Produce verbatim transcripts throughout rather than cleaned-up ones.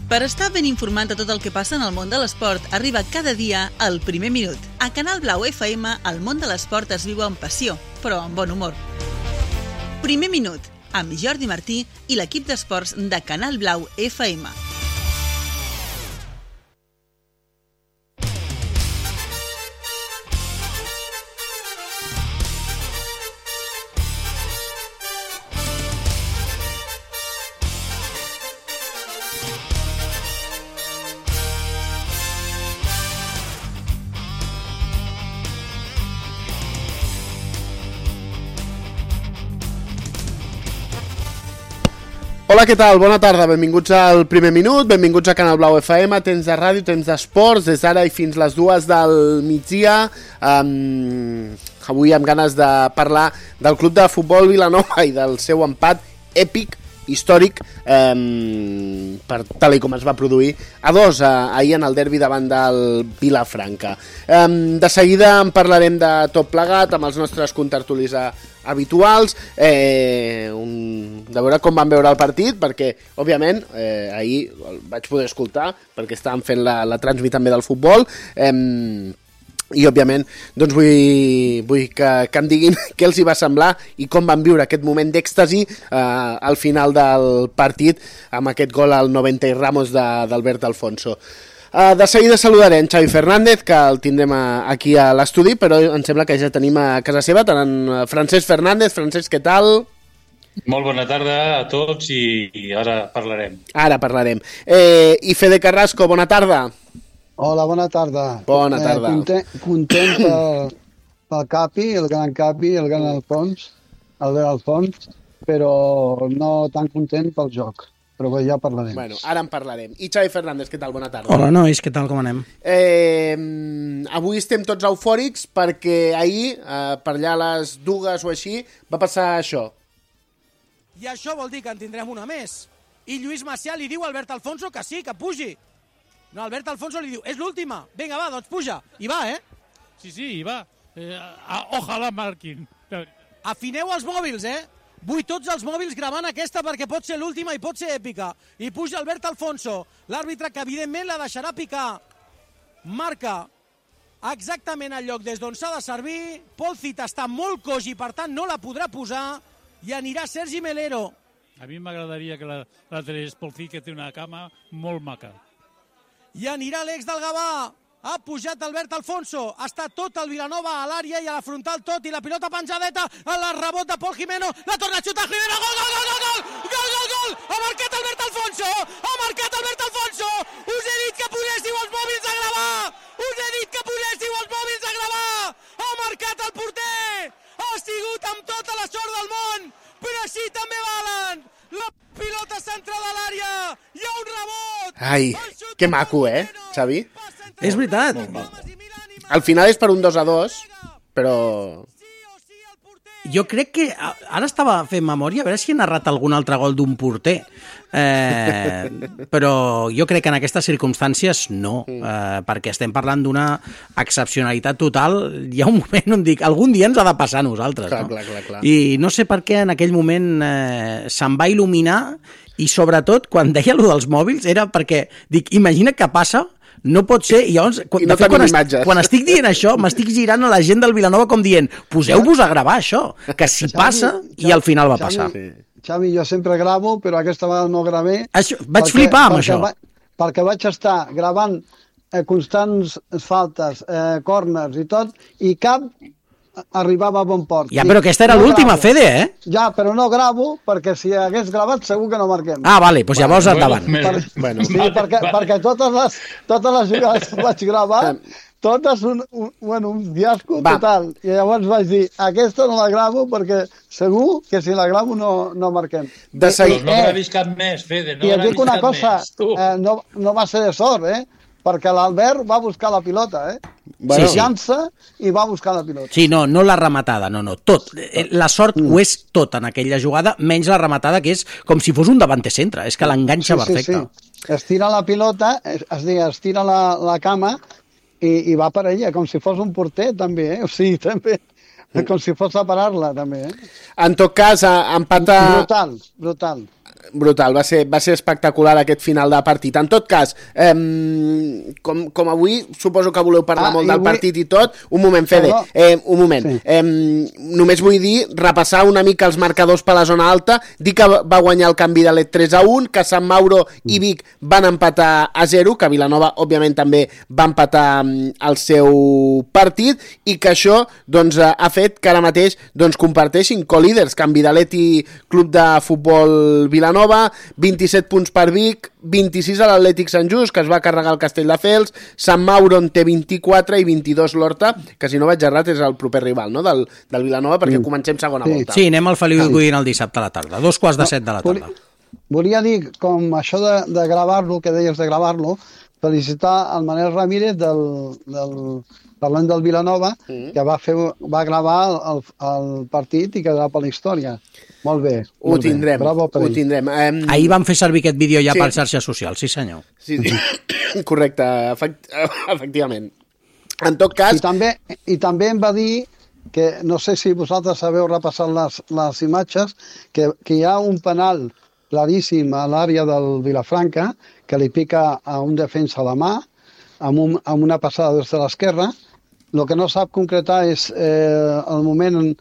Per estar ben informat de tot el que passa en el món de l'esport, arriba cada dia el Primer Minut. A Canal Blau F M, el món de l'esport es viu amb passió, però amb bon humor. Primer Minut, amb Jordi Martí i l'equip d'esports de Canal Blau F M. Hola, què tal? Bona tarda, benvinguts al Primer Minut, benvinguts a Canal Blau F M, temps de ràdio, temps d'esports, des d'ara i fins les dues del migdia. Um, avui amb ganes de parlar del Club de Futbol Vilanova i del seu empat èpic, històric, um, per tal com es va produir a dos uh, ahir en el derbi davant del Vilafranca. Um, de seguida en parlarem de tot plegat amb els nostres contertulis a habituals, eh, un, de veure com van veure el partit, perquè, òbviament, eh, ahir el vaig poder escoltar, perquè estàvem fent la, la transmit també del futbol, eh, i, òbviament, doncs vull, vull que, que em diguin què els hi va semblar i com van viure aquest moment d'èxtasi eh, al final del partit, amb aquest gol al noventa i Ramos d'Albert Alfonso. Uh, de seguida saludarem Xavi Fernández, que el tindrem a, aquí a l'estudi, però em sembla que ja tenim a casa seva tant en Francesc Fernández. Francesc, què tal? Molt bona tarda a tots i, i ara parlarem. Ara parlarem. Eh, I Fede Carrasco, bona tarda. Hola, bona tarda. Bona tarda. Eh, content content pel, pel Capi, el gran Capi, el gran Alfons, Albert Alfons, però no tan content pel joc. Però ja parlarem. Bueno, ara en parlarem. I Xavi Fernández, què tal? Bona tarda. Hola, nois, què tal? Com anem? Eh, avui estem tots eufòrics perquè ahir, eh, per allà a les dues o així, va passar això. I això vol dir que en tindrem una més. I Lluís Macià li diu a Albert Alfonso que sí, que pugi. No, Albert Alfonso li diu, és l'última. Vinga, va, doncs puja. I va, eh? Sí, sí, i va. Eh, ojalà marquin. Afineu els mòbils, eh? Vull tots els mòbils gravant aquesta perquè pot ser l'última i pot ser èpica. I puja Albert Alfonso, l'àrbitre que evidentment la deixarà picar. Marca exactament el lloc des d'on s'ha de servir. Pol Cita està molt coix i per tant no la podrà posar i anirà Sergi Melero. A mi m'agradaria que la, la tres Pol Cita, que té una cama molt maca. I anirà l'ex del Gavà. Ha pujat Albert Alfonso, està tot el Vilanova a l'àrea i a la frontal tot, i la pilota penjadeta, a la rebot de Pol Jimeno, la torna a xutar Jimeno, gol, gol, gol, gol, gol, gol, gol, ha marcat Albert Alfonso, ha marcat Albert Alfonso, us he dit que poséssiu els mòbils a gravar, us he dit que poséssiu els mòbils a gravar, ha marcat el porter, ha sigut amb tota la sort del món, però així també valen, la pilota central a l'àrea, hi ha un rebot. Ai, que maco, eh, Xavi? És veritat. Al final és per un dos a dos, però... Jo crec que... Ara estava fent memòria, a veure si he narrat algun altre gol d'un porter. Eh, però jo crec que en aquestes circumstàncies no, eh, perquè estem parlant d'una excepcionalitat total. Hi ha un moment on dic, algun dia ens ha de passar a nosaltres. Clar, no? clar, clar, clar. I no sé per què en aquell moment eh, se'm va il·luminar i sobretot quan deia allò dels mòbils era perquè, dic, imagina que passa. No pot ser, i llavors, quan, I no de fet, quan, est, imatges. quan estic dient això, m'estic girant a la gent del Vilanova com dient, poseu-vos a gravar això, que si Xavi, passa, Xavi, i al final va Xavi, passar. Xavi, jo sempre gravo, però aquesta vegada no gravé. Això, vaig perquè, flipar amb perquè això. Va, perquè vaig estar gravant eh, constants faltes, eh, corners i tot, i cap arribava a bon port. Ja, però aquesta era no l'última, gravo. Fede, eh? Ja, però no gravo, perquè si hagués gravat segur que no marquem. Ah, vale, doncs llavors Bueno, endavant. bueno, Per, bueno. sí, Vale, perquè, vale. perquè totes les, totes les jugades que vaig gravar, totes un, un, bueno, un fiasco Va. total. I llavors vaig dir, aquesta no la gravo perquè segur que si la gravo no, no marquem. De Doncs seguida... no gravis cap més, Fede, no I et gravis dic una cap cosa, més, tu. eh, no, no va ser de sort, eh? Perquè l'Albert va buscar la pilota, eh? Bueno, Sí, sí. Llança i va buscar la pilota. Sí, no, no la rematada, no, no, tot. Eh, La sort ho és tot en aquella jugada, menys la rematada, que és com si fos un davanter centre, és que l'enganxa perfecte. Sí, sí. Estira la pilota, es, es diu, estira la, la cama i, i va per ella, com si fos un porter, també, eh? O sigui, també, com si fos a parar-la, també, eh? En tot cas, empata... Brutal, brutal. Brutal, va ser, va ser espectacular aquest final de partit. En tot cas, eh, com, com avui suposo que voleu parlar ah, molt del vull... partit i tot, un moment, Fede, eh, un moment. Sí. Eh, només vull dir, repassar una mica els marcadors per la zona alta, dir que va guanyar el canvi de l'E tres a un, que Sant Mauro i Vic van empatar a zero, que Vilanova, òbviament, també va empatar el seu partit, i que això doncs, ha fet que ara mateix doncs, comparteixin co-líders, Can Vidalet i Club de Futbol Vilanova, vint-i-set punts per Vic, vint-i-sis a l'Atlètic Sant Just, que es va carregar el Castelldefels, Sant Mauro en té vint-i-quatre i vint-i-dos l'Horta, que si no vaig errat és el proper rival, no?, del, del Vilanova, perquè mm. comencem segona sí. volta. Sí, anem al Feliu Godín el dissabte a la tarda, dos quarts de set de la tarda. Volia dir, com això de, de gravar-lo, que deies de gravar-lo, felicitar el Manel Ramírez del, del, parlant del Vilanova, mm. que va, fer, va gravar el, el partit i quedarà per la història. Molt bé. Ho molt tindrem, bé. Bravo per ho tindrem. Um... Ahir vam fer servir aquest vídeo ja sí. per xarxes socials, sí senyor. Sí, sí. Correcte, efect... efectivament. En tot cas... I també, I també em va dir que, no sé si vosaltres sabeu repassar les, les imatges, que, que hi ha un penal claríssim a l'àrea del Vilafranca, que li pica a un defensa a la mà, amb, un, amb una passada des de l'esquerra. El que no sap concretar és eh, el moment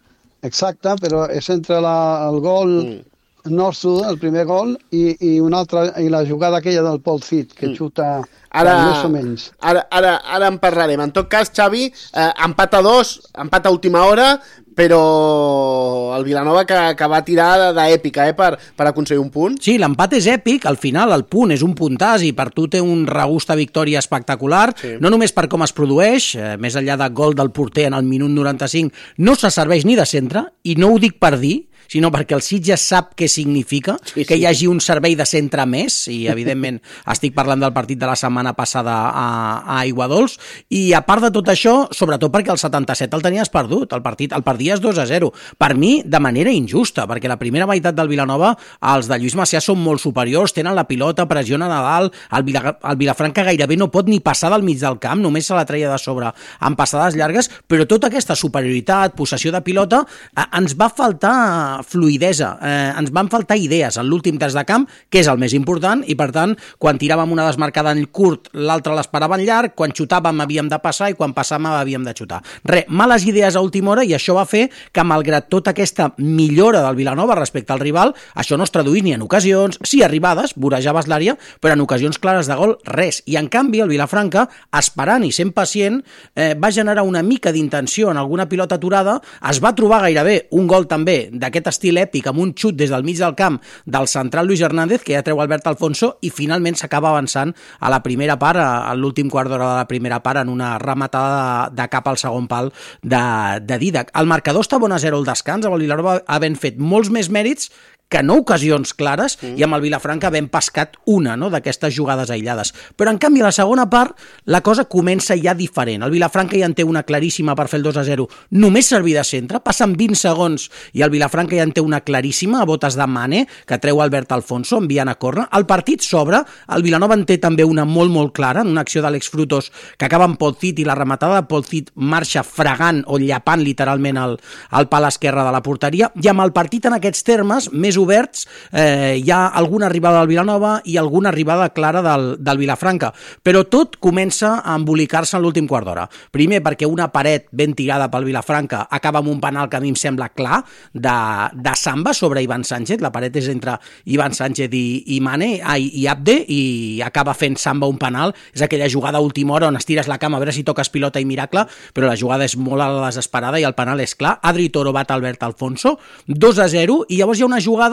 exacte, però és entre la, el gol mm. nostre, el primer gol, i, i, una altra, i la jugada aquella del Paul Cid, que mm. xuta ara, més o menys. Ara, ara, ara en parlarem. En tot cas, Xavi, eh, empat a dos, empat a última hora, però el Vilanova que, que va tirar d'èpica eh, per, per aconseguir un punt. Sí, l'empat és èpic, al final el punt és un puntàs i per tu té un regust a victòria espectacular, sí. no només per com es produeix, eh, més enllà de gol del porter en el minut noranta-cinc, no se serveix ni de centre, i no ho dic per dir, sinó perquè el Sitges sap què significa sí, sí. que hi hagi un servei de centre més, i evidentment estic parlant del partit de la setmana passada a, a Aiguadols, i a part de tot això, sobretot perquè el setanta-set el tenies perdut, el partit el perdies dos a zero, per mi de manera injusta, perquè la primera meitat del Vilanova els de Lluís Macià són molt superiors, tenen la pilota, pressionen a dalt, el, Vila, el Vilafranca gairebé no pot ni passar del mig del camp, només se la treia de sobre amb passades llargues, però tota aquesta superioritat, possessió de pilota, eh, ens va faltar fluidesa, eh, ens van faltar idees en l'últim terç de camp, que és el més important, i per tant, quan tiràvem una desmarcada en curt, l'altra l'esperava en llarg, quan xutàvem havíem de passar i quan passàvem havíem de xutar. Re, males idees a última hora, i això va fer que, malgrat tota aquesta millora del Vilanova respecte al rival, això no es traduís ni en ocasions, sí arribades, vorejaves l'àrea, però en ocasions clares de gol, res. I en canvi, el Vilafranca, esperant i sent pacient, eh, va generar una mica d'intenció en alguna pilota aturada, es va trobar gairebé un gol també d'aquest estil èpic amb un xut des del mig del camp del central Luis Hernández, que ja treu Albert Alfonso, i finalment s'acaba avançant a la primera part, a l'últim quart d'hora de la primera part, en una rematada de, de cap al segon pal de, de Didac. El marcador està bon a zero al descans, amb el Vilanova havent fet molts més mèrits que no ocasions clares, mm. i amb el Vilafranca havent pescat una no, d'aquestes jugades aïllades. Però, en canvi, a la segona part, la cosa comença ja diferent. El Vilafranca ja en té una claríssima per fer el dos a zero. Només servir de centre, passen vint segons i el Vilafranca ja en té una claríssima a botes de Mane, que treu Albert Alfonso enviant a córner. El partit s'obre, el Vilanova en té també una molt, molt clara, en una acció d'Àlex Frutos que acaba amb Paul Cid, i la rematada de Paul Cid marxa fregant o llapant literalment el, el pal esquerre de la porteria, i amb el partit en aquests termes, més oberts, eh, hi ha alguna arribada del Vilanova i alguna arribada clara del, del Vilafranca, però tot comença a embolicar-se en l'últim quart d'hora. Primer perquè una paret ben tirada pel Vilafranca acaba amb un penal que a mi em sembla clar de, de Samba sobre Ivan Sánchez, la paret és entre Ivan Sánchez i, i Mane ai, i Abde, i acaba fent Samba un penal. És aquella jugada a última hora on estires la cama a veure si toques pilota i miracle, però la jugada és molt a la desesperada i el penal és clar. Adri Toro bat Albert Alfonso, dos a zero, i llavors hi ha una jugada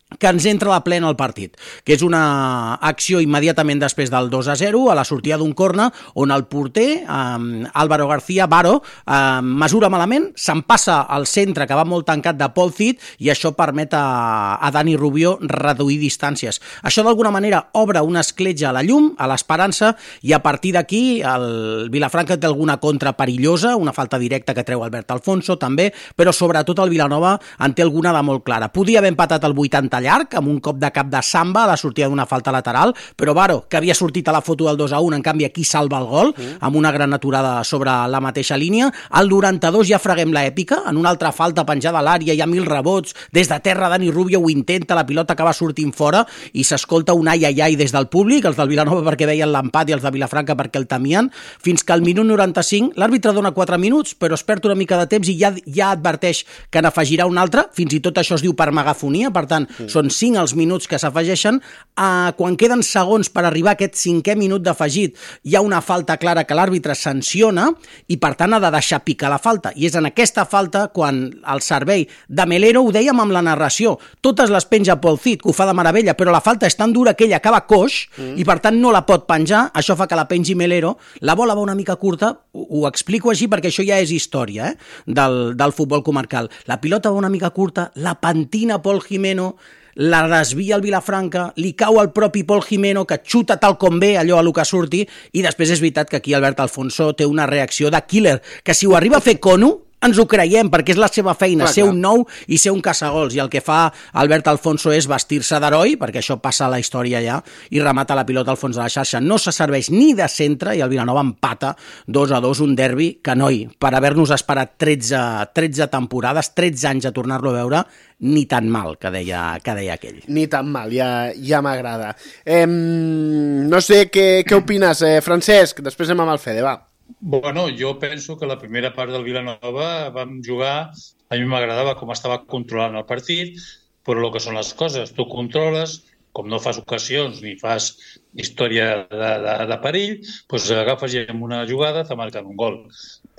que ens entra de plena al partit, que és una acció immediatament després del dos a zero, a la sortida d'un corner, on el porter, eh, Álvaro García, Varo, eh, mesura malament, se'n passa al centre, que va molt tancat de Paul Cid, i això permet a, a Dani Rubio reduir distàncies. Això d'alguna manera obre una escletxa a la llum, a l'esperança, i a partir d'aquí el Vilafranca té alguna contra perillosa, una falta directa que treu Albert Alfonso també, però sobretot el Vilanova en té alguna de molt clara. Podia haver empatat el vuitanta salta llarg, amb un cop de cap de Samba a la sortida d'una falta lateral, però Varo, que havia sortit a la foto del dos a un, en canvi aquí salva el gol, mm. amb una gran aturada sobre la mateixa línia. Al noranta-dos ja freguem l'èpica, en una altra falta penjada a l'àrea, hi ha mil rebots, des de terra Dani Rubio ho intenta, la pilota acaba sortint fora i s'escolta un ai ai ai des del públic, els del Vilanova perquè veien l'empat i els de Vilafranca perquè el temien, fins que al minut noranta-cinc l'àrbitre dona quatre minuts, però es perd una mica de temps i ja, ja adverteix que n'afegirà un altre, fins i tot això es diu per megafonia, per tant, sí. són cinc els minuts que s'afegeixen. Uh, quan queden segons per arribar a aquest cinquè minut d'afegit, hi ha una falta clara que l'àrbitre sanciona i, per tant, ha de deixar picar la falta. I és en aquesta falta quan el servei de Melero, ho dèiem amb la narració, totes les penja Paul Cid, que ho fa de meravella, però la falta és tan dura que ell acaba coix mm. i, per tant, no la pot penjar. Això fa que la pengi Melero. La bola va una mica curta, ho, ho explico així perquè això ja és història eh, del, del futbol comarcal. La pilota va una mica curta, la pentina Pol Jimeno, la desvia el Vilafranca, li cau al propi Pol Jimeno, que xuta tal com ve, allò a lo que surti, i després és veritat que aquí Albert Alfonso té una reacció de killer, que si ho arriba a fer Cono, ens ho creiem, perquè és la seva feina, clar, ser clar. un nou i ser un caçagols, i el que fa Albert Alfonso és vestir-se d'heroi, perquè això passa a la història ja, i remata la pilota al fons de la xarxa. No se serveix ni de centre, i el Vilanova empata dos a dos, un derbi que, noi, per haver-nos esperat tretze, tretze temporades, tretze anys a tornar-lo a veure, ni tan mal, que deia, que deia aquell. Ni tan mal, ja, ja m'agrada. Eh, no sé què, què opines, eh, Francesc? Després anem amb el Fede, va. Bueno, jo penso que la primera part del Vilanova vam jugar, a mi m'agradava com estava controlant el partit, però el que són les coses, tu controles, com no fas ocasions ni fas història de, de, de perill, doncs agafes i en una jugada te marquen un gol.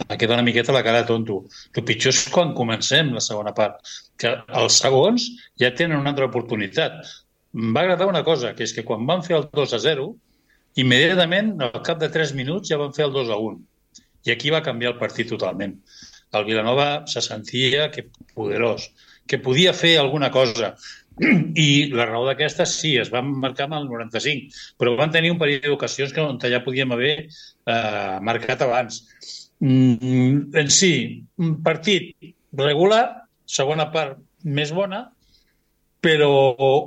Em queda una miqueta la cara de tonto. El pitjor és quan comencem la segona part, que els segons ja tenen una altra oportunitat. Em va agradar una cosa, que és que quan van fer el dos a zero, immediatament, al cap de tres minuts, ja van fer el dos a un. I aquí va canviar el partit totalment. El Vilanova se sentia que poderós, que podia fer alguna cosa. I la raó d'aquesta, sí, es van marcar amb el noranta-cinc, però van tenir un parell d'ocasions que on ja podíem haver eh, marcat abans. Mm, en si, un partit regular, segona part més bona, però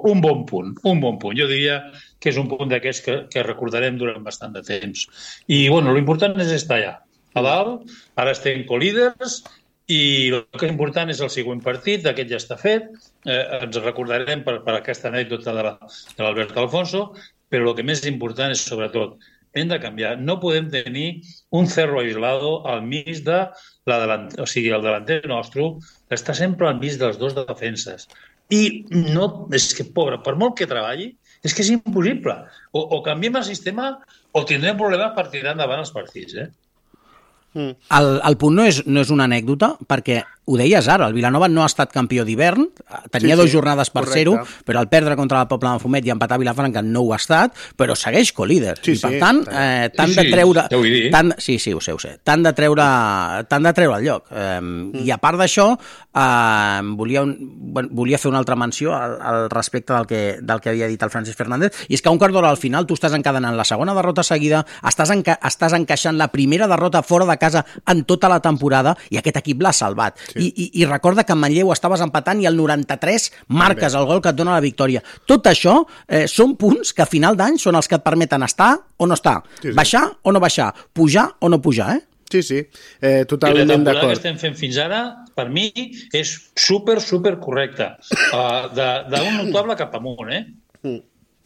un bon punt, un bon punt. Jo diria que és un punt d'aquests que, que recordarem durant bastant de temps. I, bueno, l'important és estar allà, a dalt, ara estem co-líders, i el que és important és el següent partit, d'aquest ja està fet, eh, ens recordarem per, per aquesta anècdota de l'Albert Alfonso, però el que més important és, sobretot, hem de canviar. No podem tenir un cerro aislado al mig de la delanter, o sigui, el delanter nostre està sempre al mig dels dos defenses. I no, és que, pobre, per molt que treballi, és que és impossible. O, o canviem el sistema o tindrem problemes per tirar endavant els partits, eh? Mm. El, el punt no és, no és una anècdota, perquè ho deies ara, el Vilanova no ha estat campió d'hivern, tenia sí, dues sí, jornades per ser-ho, però al perdre contra el Poble de Mafumet i empatar a Vilafranca no ho ha estat, però segueix co-líder. Sí, I per sí, tant, eh, tant sí, de treure... Sí, tant, sí, sí, ho sé, ho sé. Tant de treure, tant de treure el lloc. Eh, mm. I a part d'això, eh, volia, un, volia fer una altra menció al, al respecte del que, del que havia dit el Francesc Fernández, i és que un quart d'hora al final tu estàs encadenant la segona derrota seguida, estàs, enca estàs encaixant la primera derrota fora de casa en tota la temporada, i aquest equip l'ha salvat. Sí. I, i, I recorda que en Manlleu estaves empatant i al noranta-tres marques el gol que et dona la victòria. Tot això eh, són punts que a final d'any són els que et permeten estar o no estar, sí, sí. baixar o no baixar, pujar o no pujar, eh? Sí, sí, eh, totalment d'acord. I la temporada que estem fent fins ara, per mi, és super, super correcta. Uh, d'un notable cap amunt, eh? Mm.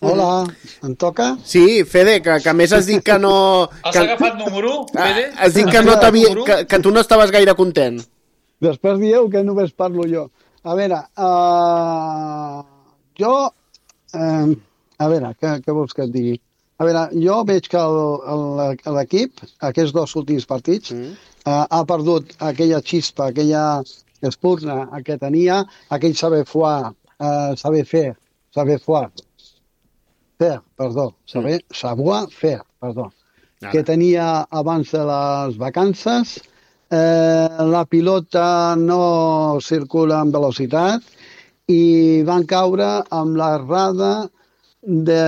Hola, em toca? Sí, Fede, que, que a més has dit que no... Has que... agafat número, Fede? Has dit que, no que, que tu no estaves gaire content. Després dieu que només parlo jo. A veure, uh, jo... Uh, a veure, què, què vols que et digui? A veure, jo veig que l'equip, aquests dos últims partits, mm. uh, ha perdut aquella xispa, aquella espurna que tenia, aquell saber foar, uh, saber fer, saber foar, fer, perdó, saber, mm. savoir fer, perdó, ah. que tenia abans de les vacances. Eh, la pilota no circula amb velocitat i van caure amb l'errada de,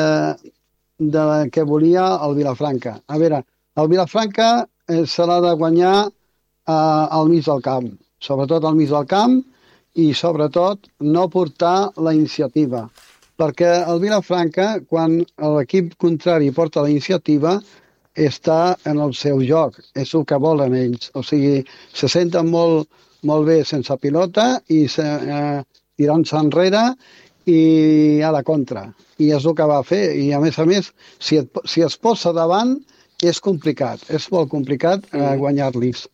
de que volia el Vilafranca. A veure, el Vilafranca eh, se l'ha de guanyar eh, al mig del camp, sobretot al mig del camp, i, sobretot, no portar la iniciativa. Perquè el Vilafranca, quan l'equip contrari porta la iniciativa, està en el seu joc, és el que volen ells. O sigui, se senten molt, molt bé sense pilota i se, eh, tirant-se enrere i a la contra. I és el que va fer. I, a més a més, si, et, si es posa davant, és complicat. És molt complicat eh, guanyar-los.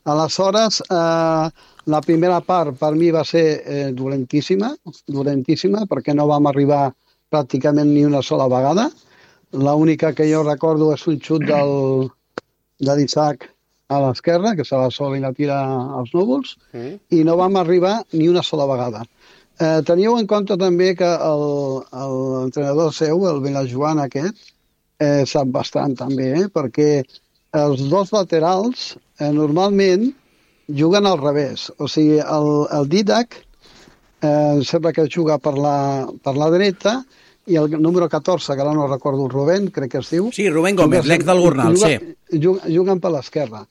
Aleshores, eh, la primera part per mi va ser eh, dolentíssima, dolentíssima, perquè no vam arribar pràcticament ni una sola vegada. L'única que jo recordo és un xut del, de l'Isaac a l'esquerra, que se la sola i la tira als núvols, mm. i no vam arribar ni una sola vegada. Eh, teniu en compte també que l'entrenador seu, el Vilajoan aquest, eh, sap bastant també, eh, perquè els dos laterals eh, normalment juguen al revés. O sigui, el, el Didac eh, sembla que juga per la, per la dreta, i el número catorze, que ara no recordo, el Rubén, crec que es diu. Sí, Rubén Gómez, l'ex del Gornal, juga, sí. Juguen, juguen per l'esquerra.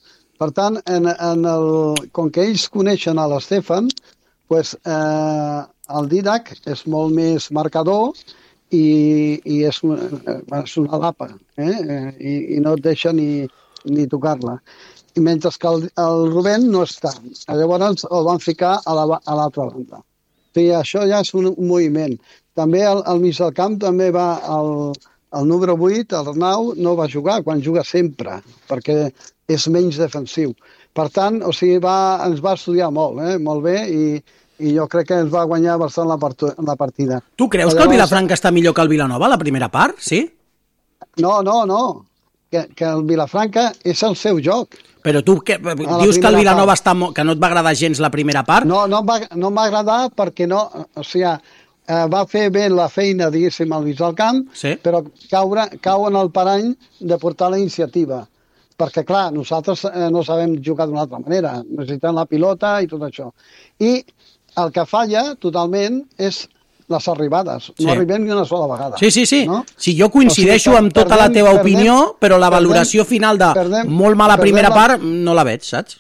Per tant, en, en el, com que ells coneixen a l'Estefan, pues, eh, el Didac és molt més marcador i, i és, una, és una lapa, eh? I, i no et deixa ni, ni tocar-la. I mentre que el, el Rubén no està. Llavors el van ficar a l'altra la, banda. O sigui, això ja és un, un moviment. També al, al mig del camp també va el, el número vuit, el Arnau, no va jugar, quan juga sempre, perquè és menys defensiu. Per tant, o sigui, va, ens va estudiar molt, eh? molt bé, i, i jo crec que ens va guanyar bastant la, part, la partida. Tu creus Llavors, que el Vilafranca està millor que el Vilanova, la primera part, sí? No, no, no, que, que el Vilafranca és el seu joc. Però tu que, dius que el Vilanova està, que no et va agradar gens la primera part? No, no em va, no em va agradar perquè no, o sigui, eh, va fer bé la feina, diguéssim, al mig del camp, sí. Però caure, cau en el parany de portar la iniciativa. Perquè, clar, nosaltres eh, no sabem jugar d'una altra manera, necessitem la pilota i tot això. I el que falla totalment és les arribades. No sí. arribem ni una sola vegada. Sí, sí, sí. No? Sí, jo coincideixo o sigui, amb tota perdem, la teva perdem, opinió, però la valoració perdem, final de perdem, molt mala primera la... part no la veig, saps?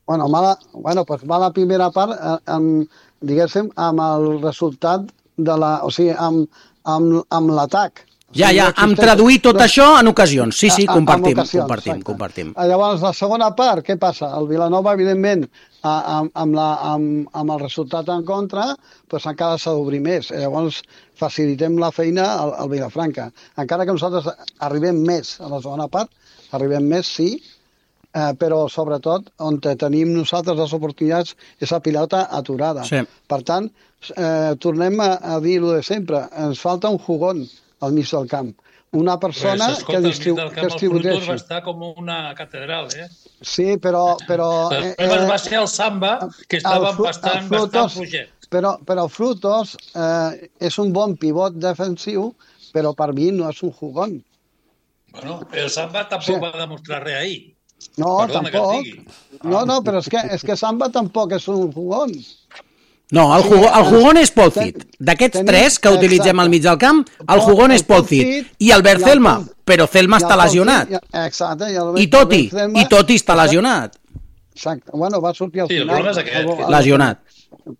Bueno, mala, bueno, pues mala primera part, eh, amb, diguéssim, amb el resultat de la... O sigui, amb, amb, amb l'atac. Ja, ja, amb traduir tot no, això en ocasions. Sí, sí, compartim, ocasions, compartim, compartim. Llavors, la segona part, què passa? El Vilanova, evidentment, amb, amb, la, amb, amb el resultat en contra, doncs encara s'ha d'obrir més. Llavors, facilitem la feina al, al Vilafranca. Encara que nosaltres arribem més a la segona part, arribem més, sí, eh, però sobretot on tenim nosaltres les oportunitats és la pilota aturada. Sí. Per tant, eh, tornem a, a dir-ho de sempre, ens falta un jugón al mig del camp. Una persona pues, escolta, que, distribu camp, que distribueixi. El va estar com una catedral, eh? Sí, però... però eh, eh, va ser el Samba, que estava el bastant, frutos, bastant fluixet. Però, però Frutos eh, és un bon pivot defensiu, però per mi no és un jugón. Bueno, el Samba tampoc sí. va demostrar res ahir. No, Perdona tampoc. No, no, però és que, és que Samba tampoc és un jugón. No, el, jugó, el jugón és Paul Cid. D'aquests tres que utilitzem al mig del camp, el jugón és Paul Cid. I Albert Celma, però Celma està lesionat. Exacte. I Toti, i Toti està lesionat. Exacte. Bueno, va sortir al final. Sí, el problema és aquest. Lesionat.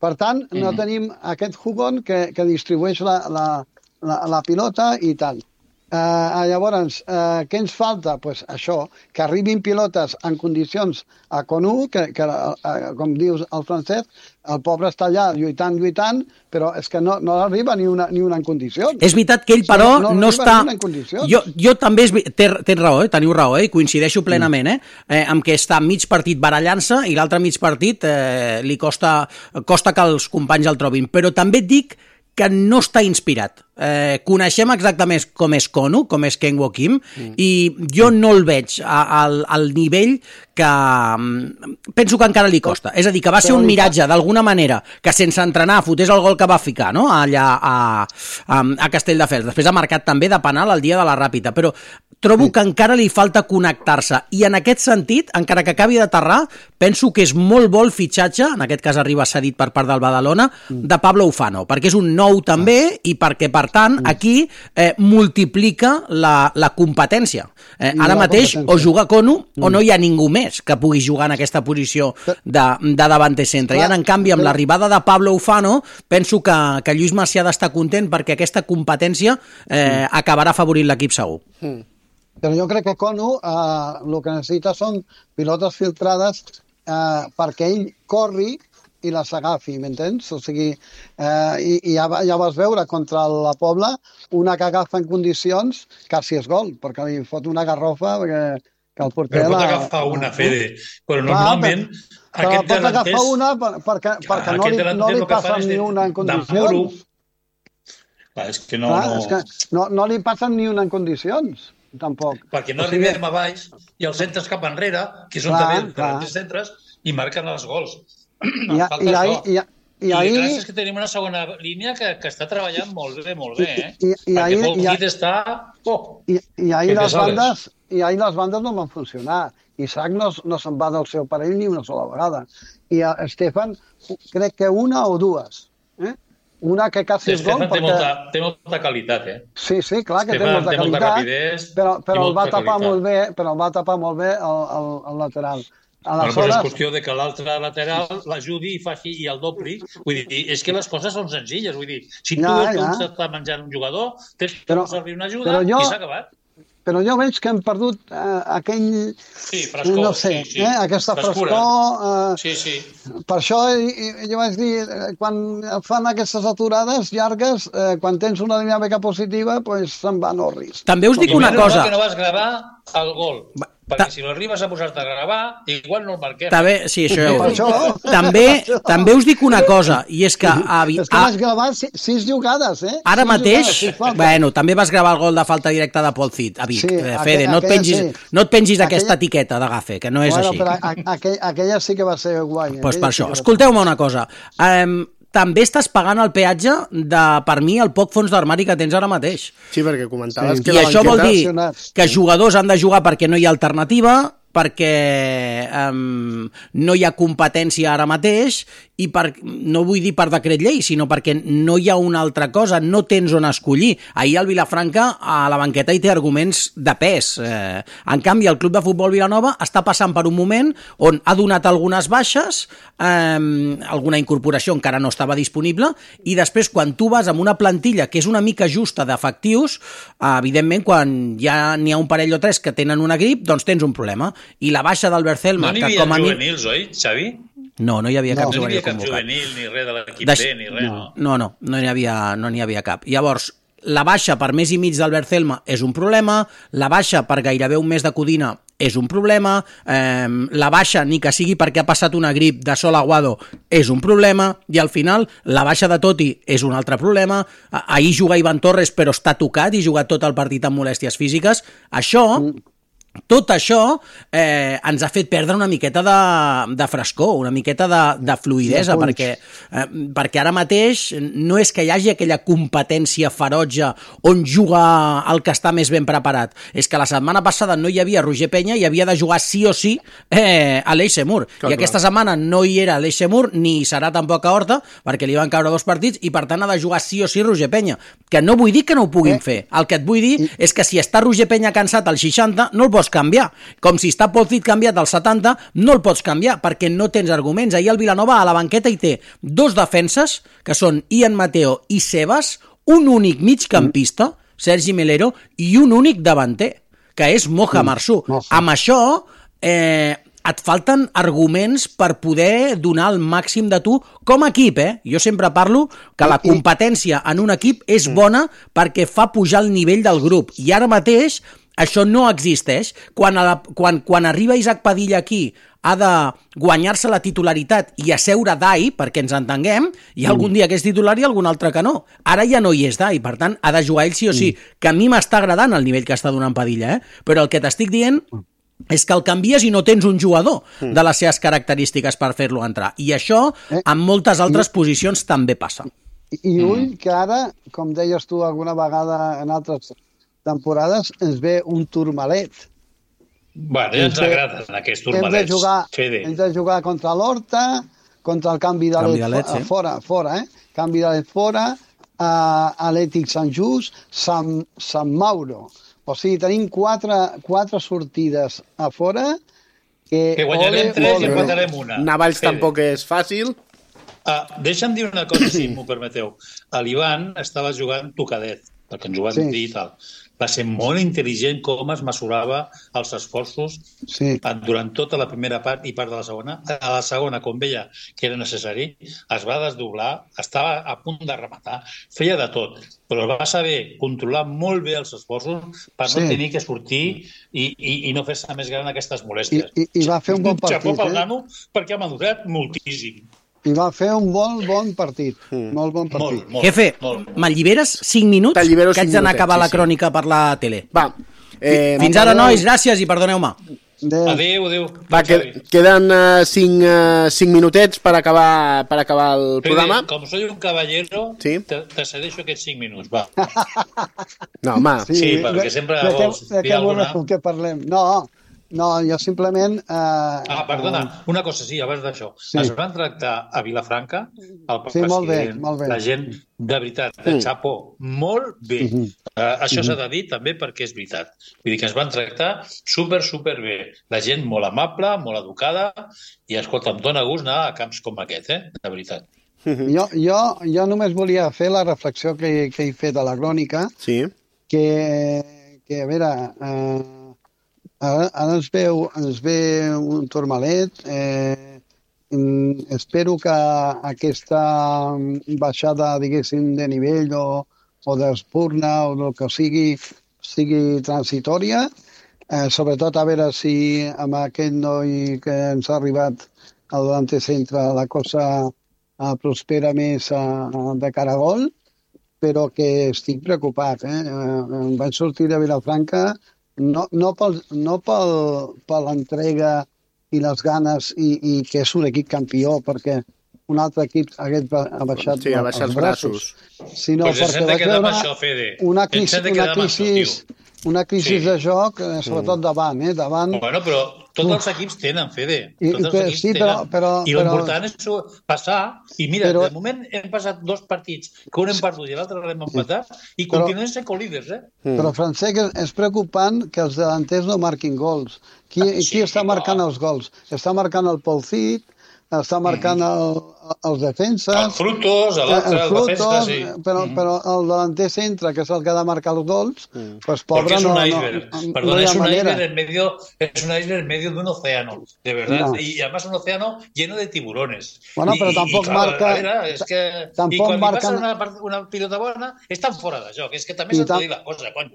Per tant, no tenim aquest jugón que, que distribueix la, la, la, la pilota i tal. Uh, llavors, uh, què ens falta? Pues això, que arribin pilotes en condicions a Conú, que, que uh, com dius el Francesc, el pobre està allà lluitant, lluitant, però és que no, no arriba ni una, ni una en condicions. És veritat que ell, però, sí, no, no, no està... Jo, jo també, és... tens raó, eh? Teniu raó, eh? Coincideixo plenament, eh? eh? amb que està mig partit barallant-se i l'altre mig partit eh, li costa, costa que els companys el trobin. Però també et dic que no està inspirat. Eh, coneixem exactament com és Konu, com és Kangwoo Kim, mm. i jo no el veig a, al, al nivell que penso que encara li costa. És a dir, que va ser un miratge, d'alguna manera, que sense entrenar fotés el gol que va ficar, no?, allà a, a, a Castelldefels. Després ha marcat també de penal el dia de la Ràpita, però trobo que encara li falta connectar-se, i en aquest sentit, encara que acabi d'aterrar, penso que és molt bo el fitxatge, en aquest cas arriba cedit per part del Badalona, de Pablo Ufano, perquè és un nou també, i perquè per per tant, aquí eh, multiplica la, la competència. Eh, ara mateix o juga Konu o no hi ha ningú més que pugui jugar en aquesta posició de, de davanter centre. I ara, en canvi, amb l'arribada de Pablo Ufano, penso que, que Lluís Macià ha d'estar content perquè aquesta competència eh, acabarà afavorint l'equip segur. Mm. Però jo crec que Konu eh, el que necessita són pilotes filtrades eh, perquè ell corri i les agafi, m'entens? O sigui, eh, i, i ja, ja vas veure contra la Pobla una que agafa en condicions quasi és gol, perquè li fot una garrofa perquè, que el porter... Però pot agafar una, Fede, però normalment... Clar, però, però pot agafar una perquè, perquè no li, no li passen ni una en condicions. Clar, és que no... Clar, no... És que no, no li passen ni una en condicions, tampoc. Perquè no o sigui... arribem a baix i els centres cap enrere, que són també els centres, i marquen els gols. I, i, ahí, i, i, I ahí... gràcies que tenim una segona línia que, que està treballant molt bé, molt bé, eh? I, i, perquè ahí, Paul i, Kid està... Oh, I, i ahir les bandes, i ahir les bandes no van funcionar. Isaac no, no se'n va del seu parell ni una sola vegada. I a Estefan, crec que una o dues. Eh? Una que quasi és gol. Estefan té, perquè... molta, té molta qualitat, eh? Sí, sí, clar que Estefan té molta té qualitat, molta rapidez, però, però el va tapar qualitat. molt bé, però el va tapar molt bé el, el, el lateral. Aleshores... Bueno, és qüestió de que l'altre lateral l'ajudi i faci i el dobli. Vull dir, és que les coses són senzilles. Vull dir, si tu ja, veus ja. que està menjant un jugador, tens que però, servir una ajuda jo, i s'ha acabat. Però jo veig que hem perdut eh, aquell... Sí, frescor. No sé, sí, sí. Eh, aquesta Frescura. frescor... Eh, sí, sí. Per això jo vaig dir, quan fan aquestes aturades llargues, eh, quan tens una dinàmica positiva, pues se'n va Norris. També us dic una cosa. Que no vas gravar el gol. Perquè si l'arribes a posar-te a gravar, igual no el marquem. També, sí, això ja ho dic. També, també us dic una cosa, i és que... A, és que vas gravar sis, sis jugades, eh? Ara sis mateix, jugades, bueno, també vas gravar el gol de falta directa de Paul Cid, a Vic. Sí, Fede, aquella, no et pengis, sí. no et pengis aquella... aquesta etiqueta de gafe, que no és bueno, així. Però a, aquella, aquella sí que va ser guai. Doncs pues per això. Sí Escolteu-me una cosa. Um, també estàs pagant el peatge de, per mi, el poc fons d'armari que tens ara mateix. Sí, perquè comentaves sí. que I la això vol dir sí. que jugadors han de jugar perquè no hi ha alternativa, perquè um, no hi ha competència ara mateix i per, no vull dir per decret llei, sinó perquè no hi ha una altra cosa, no tens on escollir. Ahir el Vilafranca a la banqueta hi té arguments de pes. Eh, en canvi, el Club de Futbol Vilanova està passant per un moment on ha donat algunes baixes, eh, alguna incorporació encara no estava disponible, i després quan tu vas amb una plantilla que és una mica justa d'efectius, eh, evidentment quan ja n'hi ha un parell o tres que tenen una grip, doncs tens un problema. I la baixa d'Albert Celma... No n'hi havia juvenils, oi, Xavi? No, no hi havia cap no, juvenil convocat. No hi havia cap juvenil, ni res de l'equip Deix... B, ni res, no. No, no, no n'hi havia, no n'hi havia cap. Llavors, la baixa per mes i mig d'Albert Celma és un problema, la baixa per gairebé un mes de Codina és un problema, eh, la baixa, ni que sigui perquè ha passat una grip de Sol Aguado, és un problema, i al final la baixa de Totti és un altre problema. Ahir juga Ivan Torres però està tocat i ha jugat tot el partit amb molèsties físiques. Això... Mm. Tot això eh, ens ha fet perdre una miqueta de, de frescor, una miqueta de, de fluidesa, sí, perquè, eh, perquè ara mateix no és que hi hagi aquella competència ferotge on juga el que està més ben preparat. És que la setmana passada no hi havia Roger Penya i havia de jugar sí o sí eh, a l'Eix Semur. Clar, I aquesta clar. setmana no hi era l'Eix Semur, ni hi serà tampoc a Horta, perquè li van caure dos partits, i per tant ha de jugar sí o sí Roger Penya. Que no vull dir que no ho puguin eh? fer. El que et vull dir és que si està Roger Penya cansat al seixanta, no el pots canviar. Com si està Paul Cid canviat al setanta, no el pots canviar perquè no tens arguments. Ahir el Vilanova a la banqueta hi té dos defenses, que són Ian Mateo i Sebas, un únic migcampista, Sergi Melero, i un únic davanter, que és Moja Marsú. Amb això eh, et falten arguments per poder donar el màxim de tu com a equip, eh? Jo sempre parlo que la competència en un equip és bona perquè fa pujar el nivell del grup, i ara mateix això no existeix. Quan, a la, quan, quan arriba Isaac Padilla aquí ha de guanyar-se la titularitat i asseure Dai, perquè ens entenguem, i algun dia que és titular i algun altre que no. Ara ja no hi és Dai, per tant ha de jugar ell sí o sí, que a mi m'està agradant el nivell que està donant Padilla, eh? Però el que t'estic dient és que el canvies i no tens un jugador de les seves característiques per fer-lo entrar. I això en moltes altres posicions també passa. I ull que ara, com deies tu alguna vegada en altres temporades, ens ve un turmalet. Bueno, ja ens agraden aquests turmalets. Hem de jugar, hem de jugar contra l'Horta, contra el canvi de, canvi de led, sí. fora, fora, eh? Canvi de led fora, uh, Atlètic Sant Just, Sant, Sant Mauro. O sigui, tenim quatre, quatre sortides a fora que, que guanyarem ole, tres ole, i empatarem una. Navalls tampoc és fàcil. Ah, deixa'm dir una cosa, si m'ho permeteu. L'Ivan estava jugant tocadet, perquè ens ho van Sí. dir i tal. Va ser molt intel·ligent com es mesurava els esforços Sí. durant tota la primera part i part de la segona. A la segona, com veia que era necessari, es va desdoblar, estava a punt de rematar, feia de tot, però va saber controlar molt bé els esforços per no Sí. tenir que sortir i, i, i no fer-se més gran aquestes molèsties. I, i, i va fer un bon partit, Xapó pel eh? nano, perquè ha madurat moltíssim. I va fer un molt bon partit. Mm. Molt bon partit. Molt, molt, Jefe, molt. m'alliberes cinc minuts? T'allibero que haig cinc d'anar a minutets, acabar sí, la sí. crònica per la tele. Va. Eh, Fins ara, nois, gràcies i perdoneu-me. Adéu. Adéu, adéu. Va, que, queden uh, cinc, uh, cinc minutets per acabar, per acabar el programa. Com soy un caballero, Sí. te, te cedeixo aquests cinc minuts, va. No, home, Sí, perquè sempre de, de, vols de, dir què alguna. voleu que parlem? No, no, jo simplement... Eh, Ah, perdona, una cosa, sí, abans d'això. Sí. Es van tractar a Vilafranca, el Sí, molt bé, president, molt bé. la gent, de veritat, de xapó, molt bé. Mhm. Uh, això s'ha de dir també perquè és veritat. Vull dir que es van tractar super, super bé. La gent molt amable, molt educada, i, escolta, em dóna gust anar a camps com aquest, eh? De veritat. Jo, jo, jo només volia fer la reflexió que, que he fet a la crònica, sí. que, que a veure, eh, ara, ara ens, veu, ens ve un Tourmalet, eh, mm, espero que aquesta baixada, diguéssim, de nivell o, o d'espurna o el que sigui, sigui transitòria, eh, sobretot a veure si amb aquest noi que ens ha arribat al delanter centre la cosa eh, prospera més eh, de cara a gol, però que estic preocupat. Eh? Eh, em vaig sortir de Vilafranca no, no, pel, no pel, per l'entrega i les ganes i, i que és un equip campió, perquè un altre equip hagués ha baixat, Sí, ha baixat els els braços. sinó Pues ens perquè hem de vaig quedar amb veure això, Fede. una Ens crisi, hem de una quedar amb això, crisi, una crisi Sí. de joc, eh, sobretot davant, eh? davant Bueno, però tots els equips tenen, Fede. I- Tots els però- equips sí, però- tenen. però- I però- l'important és passar. I mira, Però- de moment hem passat dos partits, que un hem perdut i l'altre l'hem empatat, i Però- continuem sent co-líders, eh? Mm. Però, Francesc, és, és preocupant que els delanters no marquin gols. Qui, Ah, sí, qui està marcant no. els gols? Està marcant el Paul Cid, està marcant el, els defenses... Els frutos, l'altre, el defensa, sí. però, però el delanter centre, que és el que ha de marcar els gols, Mm. pues, Porque pobre, es no, un no, iceberg. no, no Perdón, hi ha es un manera. iceberg en medio, es un iceberg en medio de un océano, de verdad. No. Y además un océano lleno de tiburones. Bueno, Y- pero y- tampoco y, claro, marca- a veure, és que, tampoc I quan marca- passa una, part- una pilota bona, estan fora de joc. És que també I s'ha de tam- dir la cosa, cony.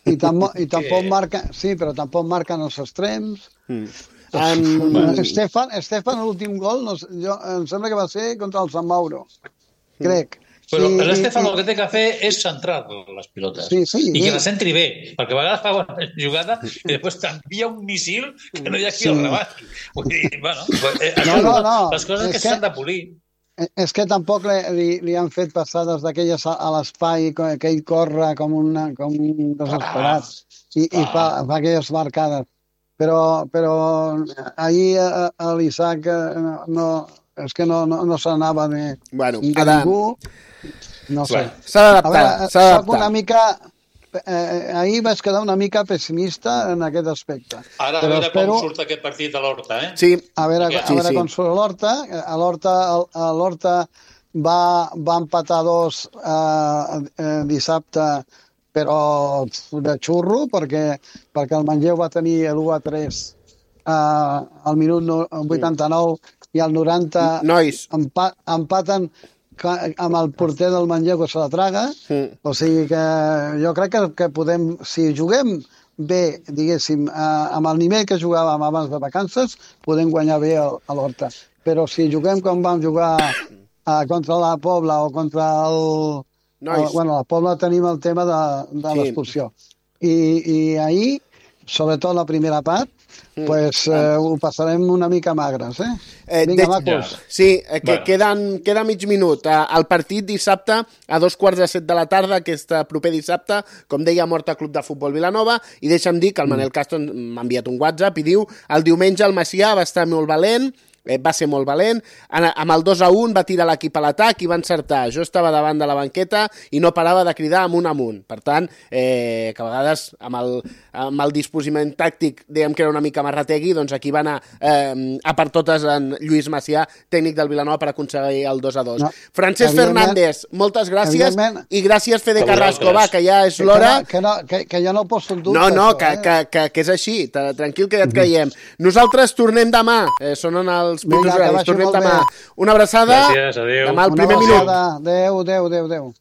I, tam I tampoc Que- marca... Sí, però tampoc marquen els extrems. Mm. Um, Estefan, Estefan l'últim gol, no, sé, jo, em sembla que va ser contra el Sant Mauro, crec. Però I- l'Estefan i- el que té que fer és centrar les pilotes. Sí, sí, I sí. que les centri bé, perquè a vegades fa bona jugada i després t'envia un missil que no hi ha qui Sí. el rebati. Vull dir, bueno, eh, No, això, no, no. les coses És que que- s'han de polir. Eh, És que tampoc li, li, li han fet passades d'aquelles a, a l'espai, que que ell corre com, una, com un desesperat i, i fa, fa aquelles marcades. Però, però ahir a, a l'Isaac eh, no, no, és que no, no, no s'anava de, Bueno, de ha de- ningú. No sé. Bueno, s'ha A d'adaptar, veure, s'ha soc una d'adaptar. mica... Eh, ahir vaig quedar una mica pessimista en aquest aspecte. Ara a Però veure espero- com surt aquest partit a l'Horta, eh? Sí, A veure, Sí, a veure sí. com surt l'Horta. A l'Horta, a l'Horta va, va empatar dos eh, eh, dissabte, però de xurro, perquè, perquè el Manlleu va tenir l'u a tres eh, al minut no- vuitanta-nou i al noranta nois, empa empaten ca- amb el porter del Manlleu que se la traga. Mm. O sigui que jo crec que, que podem, si juguem bé, diguéssim, eh, amb el nivell que jugàvem abans de vacances, podem guanyar bé el- a l'Horta. Però si juguem com vam jugar eh, contra la Pobla o contra el... Nois. el bueno, a la Pobla tenim el tema de, de Sí. l'expulsió. I, I ahir, sobretot la primera part, Mm. pues, eh, ho passarem una mica magres, eh? Eh, Vinga, de- macos. sí, eh, que Bueno. queden, queda mig minut. Eh, el partit dissabte a dos quarts de set de la tarda, aquest eh, proper dissabte, com deia, Horta Club de Futbol Vilanova, i deixa'm dir que el Manel Castro m'ha enviat un WhatsApp i diu el diumenge el Macià va estar molt valent, eh, va ser molt valent, en, amb el dos a un va tirar l'equip a l'atac i va encertar. Jo estava davant de la banqueta i no parava de cridar amunt amunt. Per tant, eh, que a vegades amb el, amb el disposiment tàctic dèiem que era una mica marrategui, doncs aquí va anar eh, a per totes en Lluís Macià, tècnic del Vilanova, per aconseguir el dos a dos. No, Francesc Fernández, moltes gràcies i gràcies Fede Carrasco, va, que ja és l'hora. Que, no, que, que jo no poso en dubte. No, no, això, que, eh? que, que, que és així, tranquil que ja et creiem. Nosaltres tornem demà, eh, sonen els pitos horaris, tornem demà. Una abraçada, gràcies, adéu. demà al Una primer minut. Adéu, adéu, adéu, adéu.